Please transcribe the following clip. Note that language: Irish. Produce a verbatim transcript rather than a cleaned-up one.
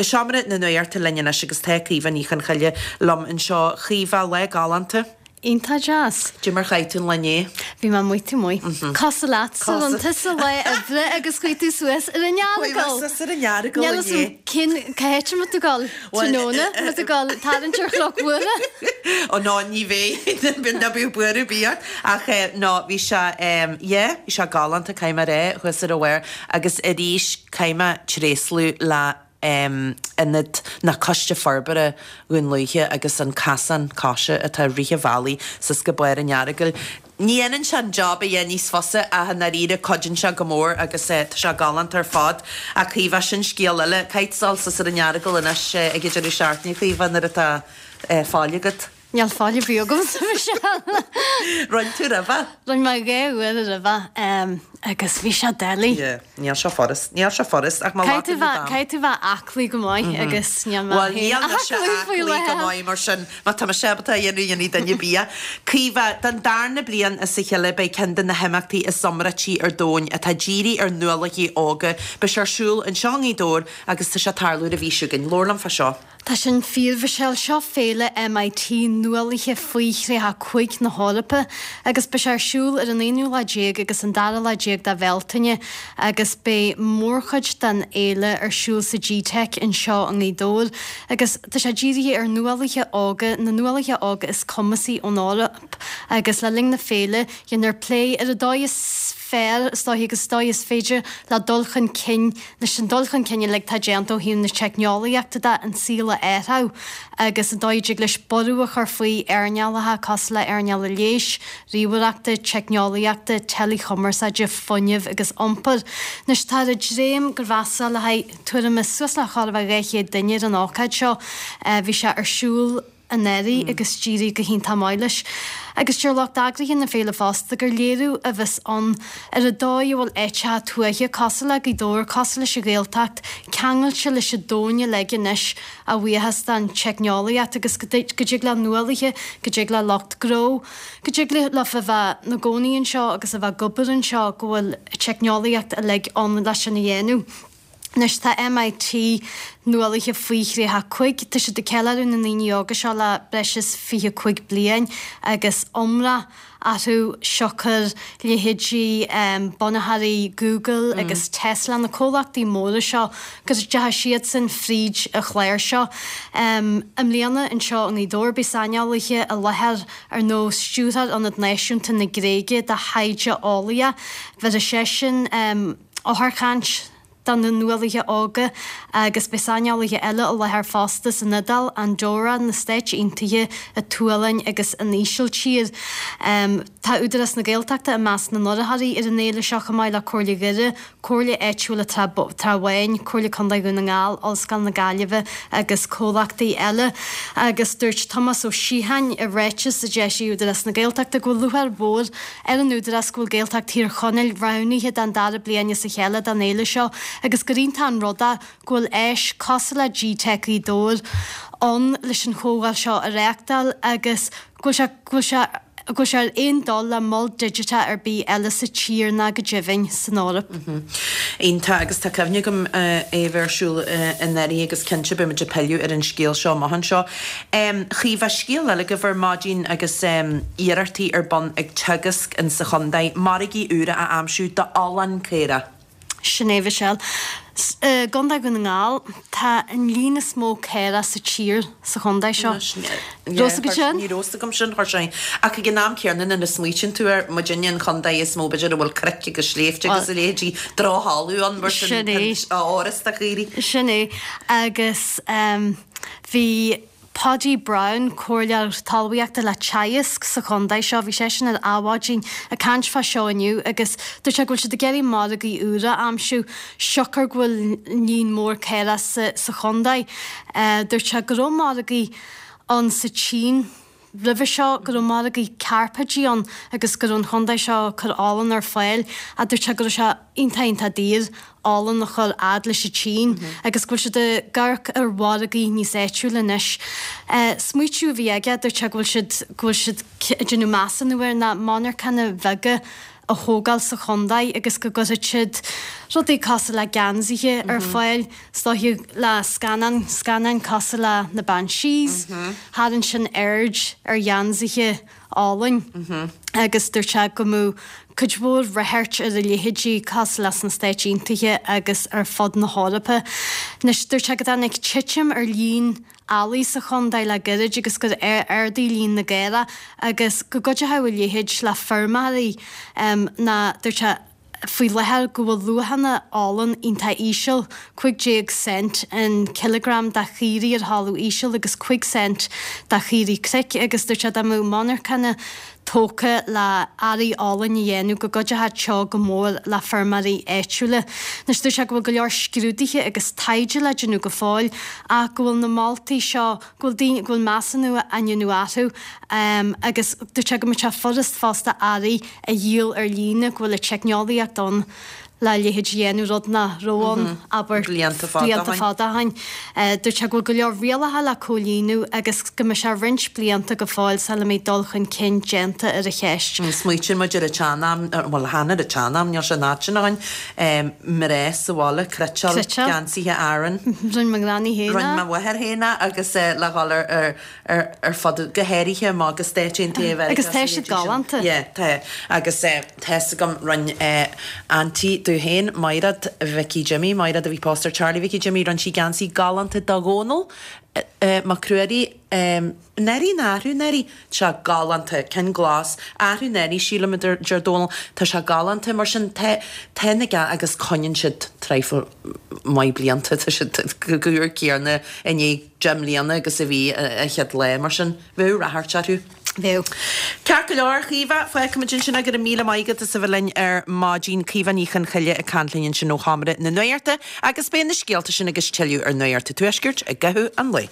Go seomra na nuachta linn anois agus tá Caoimhe Ní Chonchoille liom anseo. Caoimhe, lá galánta. Iontach deas. Cad é mar chaith tú an lá inné? Bhí mé amuigh taobh amuigh. Cosúil leatsa, rinne tusa lá oibre agus chuaigh tú suas ar an Earagail. Chuaigh mé suas ar an Earagail Níl fhios agam cén cá háit a mbeidh tú ag dul tráthnóna, mbeidh tú ag dul tarraingt ar Chnoc Mhuire? Ó no, ní bheidh, ná bíodh buaireamh ar bith ort. Ach no, bhí sé, yeah, bhí sé galánta, caithfidh mé a rá, thuas ar an bharr agus arís caithfidh mé tréaslú le Ionad ná Coiste Forbartha Dhún Lúiche agus an casán coise atá i rith an bhealaigh suas go barr an Earagail. Ní dhéanann sé an job a dhéanamh níos fusa ach i ndáiríre cuidíonn sé go mór agus tá sé galánta ar fad. Ach Caoimhe, sin scéal eile. Caithfidh tú dul suas ar an Earagail anois ag an deireadh seachtaine, Caoimhe, nuair atá faill agat. Níl faill ar bith agamsa, Michelle. Rinne tú roimhe? Rinne mé dhá uair roimhe agus bhí sé doiligh. Yeah, níl sé furast. Níl sé furast ach má Caithfidh tú bheith, caithfidh tú bheith aclaí go maith agus níl mé Bhuel, níl mise aclaí go maith mar sin má tá mise ábalta a dhéanamh, dhéanfaidh duine ar bith. Caoimhe, don darna bliain as a chéile beidh ceann de na himeachtaí is iomráití ar domhan atá dírithe ar nuálaithe óga. Beidh sé ar siúl anseo i nGaoth Dobhair agus tá sé ag tarlú ar an mhí seo chugainn. Labhair liom fá seo. Tá sin fíor, Michelle. Seo féile M I T Nuálaithe faoi thríocha cúig na hEorpa agus beidh sé ar siúl ar an aonú lá déag agus an dara lá déag de Bhealtaine agus beidh mórchuid den fhéile ar siúl sa G-Teic anseo i nGaoth Dobhair agus tá sé dírithe ar nuálaithe óga, na nuálaithe óga is cumasaí ón Eoraip, agus le linn na féile déanfar plé ar an dóigh is fearr is dóiche agus is dóigh is féidir le dul chun cinn leis an dul chun cinn uilig atá déanta ó thaobh na teicneolaíochta de an saol a athrú agus an dóigh a dtig leis borradh a chur faoi earnálacha cosúil le earnáil an leighis, ríomhaireachta, teicneolaíochta, teileachumarsáide, fuinnimh agus iompair. Anois táthar ag dréim gur mheasa le haghaidh tuairim is suas le chóir a bheith dhá chéad duine ar an ócáid seo. Bhí sé ar siúl anuraidh agus d'éirigh go hiontach maith leis. Agus deir lucht eagraithe na féile fosta gur léiriú a bheas ann ar an dóigh a bhfuil áiteacha tuaithe cosúil le Gaoth Dobhair, cosúil leis an Ghaeltacht, ceangailte leis an domhan uilig anois a bhuíochas don teicneolaíocht agus go dtig le nuálaithe, go dtig le lucht gnó, go dtig leofa a bheith ina gcónaí anseo agus a bheith ag obair anseo go bhfuil teicneolaíocht uilig ann leis sin a dhéanamh. Anois tá M I T Nuálaithe faoi thríocha cúig, tá siad ag ceiliúradh na ndaoine óga seo le breis is fiche cúig bliain agus iomrá orthu siocair leithéidí bunaitheoirí Google agus Tesla, na comhlachtaí móra seo go dteachaigh siadsan fríd an chlár seo. I mbliana anseo i nGaoth Dobhair beidh saineolaithe i láthair ar nós Stiúrthóir Ionad Náisiúnta na Gréige do Thaighde Eolaíoch, bhéarfaidh seisean eochairchaint do na nuálaithe óga agus beidh saineolaithe eile i láthair fosta san Iodáil, Andorra, na Stáit Aontaithe, an tSualainn agus an Ísiltír. Tá Údarás na Gaeltachta i measc na n-urraitheoirí ar an fhéile seo chomh maith le Comhairle Dhoire, Comhairle Áitiúil Trá Bháin, Comhairle Contae Dhún na nGall, Ollscoil na Gaillimhe agus comhlachtaí eile. Agus dúirt Tomás Ó Síocháin i ráiteas a d'eisigh Údarás na Gaeltachta go bhfuil lúcháir mhór ar an Údarás go bhfuil Gaeltacht Thír Chonaill roghnaithe don dara bliain as a chéile don fhéile seo agus gur iontach an rud é go bhfuil áis cosúil le G-Teic Ghaoth Dobhair ann leis an chomhdháil seo a reáchtáil agus go bhfuil sé go bhfuil sé go bhfuil sé ar aon dul le mol digiteach ar bith eile sa tír ná go deimhin san Eoraip. Iontach, agus tá cuimhne agam é a bheith ar siúl anuraidh agus cinnte beidh muid ag pilleadh ar an scéal seo amach anseo. Chaoimhe, scéal eile agaibh ar maidin agus iarrachtaí ar bun ag Teagasc insa chontae margaí úra a aimsiú d'olann caorach. Sin é, Michelle. I gContae Dhún na nGall, tá an líon is mó caorach sa tír sa chontae seo. Raibh fhios agat sin? Ní raibh fhios agam sin, chuir sé. Ach ag an am céanna nuair a smaoitíonn tú air, muidinne an chontae is mó b'fhéidir a bhfuil cnoic agus sléibhte agus a leithéidí, drochthalamh ann mar sin Sin é. áras do chaoirigh. Sin é. Agus bhí Paudie Browne, comhairleoir talmhaíochta le Teagasc sa chontae seo, bhí seisean ar Adhmhaidin ag caint fá seo inniu agus dúirt sé go bhfuil siad ag iarraidh margaí úra a aimsiú siocair go bhfuil líon mór caorach sa sa chontae. Dúirt sé go raibh margaí ann sa tSín roimhe seo, go raibh margaí cairpéidí ann agus go raibh an chontae seo ag cur olann ar fáil ach dúirt sé go raibh sé iontach iontach daor olann a chur fhad leis an tSín agus go bhfuil siad ag amharc ar mhargaí níos áitiúla anois. Smaoitiú a bhí aige, dúirt sé go bhfuil siad go bhfuil siad ag déanamh measúnú air ná monarchana bheaga a thógáil sa chontae agus go gcuirfeadh siad rudaí cosúil le geansaithe ar fáil, is dóiche le scannán, scannáin cosúil le na Banshees, tharraing sin aird ar gheansaithe álainn agus dúirt sé go mbeadh cuid mhór ráchairt ar a leithéidí cosúil le sna Stáit Aontaithe agus ar fud na hEorpa. Anois dúirt sé go dtáinig titim ar líon eallaí sa chontae le gairid agus gur ardaigh líon na gcaorach agus go gcuideochadh a leithéid le feirmeoirí ná dúirt sé faoi láthair go bhfuil luachanna olann iontach íseal, cúig déag cent an cileagram do chaoirigh ar thalamh íseal agus cúig cent do chaoirigh cnoic agus dúirt sé dá mbeadh monarchana tógtha le earraí olainn a dhéanamh go gcuideochadh seo go mór le feirmeoirí áitiúla. Anois dúirt sé go bhfuil go leor scrúduithe agus taighde le déanamh go fóill ach go bhfuil na moltaí seo, go bhfuil daoine, go bhfuil measúnú á ndéanamh orthu agus dúirt sé go mbeadh sé furast fosta earraí a dhíol ar líne, go bhfuil an teicneolaíocht ann le a leithéid a dhéanamh, rud nach raibh ann, abair, blianta fada blianta fada ó shin. Dúirt sé go bhfuil go leor rialacha le comhlíonadh agus go mbeidh sé roinnt blianta go fóill sula mbeidh dul chun cinn déanta ar an cheist. Smaoitíonn muid ar an tsean-am, bhuel, chan ar an tsean-am, níl sé an fhad sin ó shin, mná sa bhaile, cniotáil geansaithe Aran. Rinne mo ghranny féin é. Rinne mo mháthair féin é agus le dhul ar ar fud, go háirithe amach go Stáit Aontaithe Mheiriceá. Agus tá siad galánta. Yeah, tá. Agus tá's agam, rinne auntie domh féin, Maighread Mhicí Jimmy, Maighread a bhí pósta ar Charlie Mhicí Jimmy, rinne sí geansaí galánta do Dhónall Mac Ruairí, anuraidh nó arú anuraidh, tá sé galánta, ceann glas, arú anuraidh sílim a deir Dónall, tá sé galánta, mar sin tá, tá na gean, agus coinníonn siad traidhfil maith blianta, tá siad chomh húr céanna i ndiaidh deich mbliana agus a bhí an chéad lá, mar sin bheadh ráchairt orthu. Bheadh. Ceart go leor, a Chaoimhe, fágfaimid ansin é, go raibh míle maith agat as a bheith linn ar maidin. Caoimhe Ní Chonchoille ag caint linn ansin ó Sheomra na Nuachta agus beidh na scéalta sin agus tuilleadh ar Nuacht an Tuaiscirt i gcaitheamh an lae.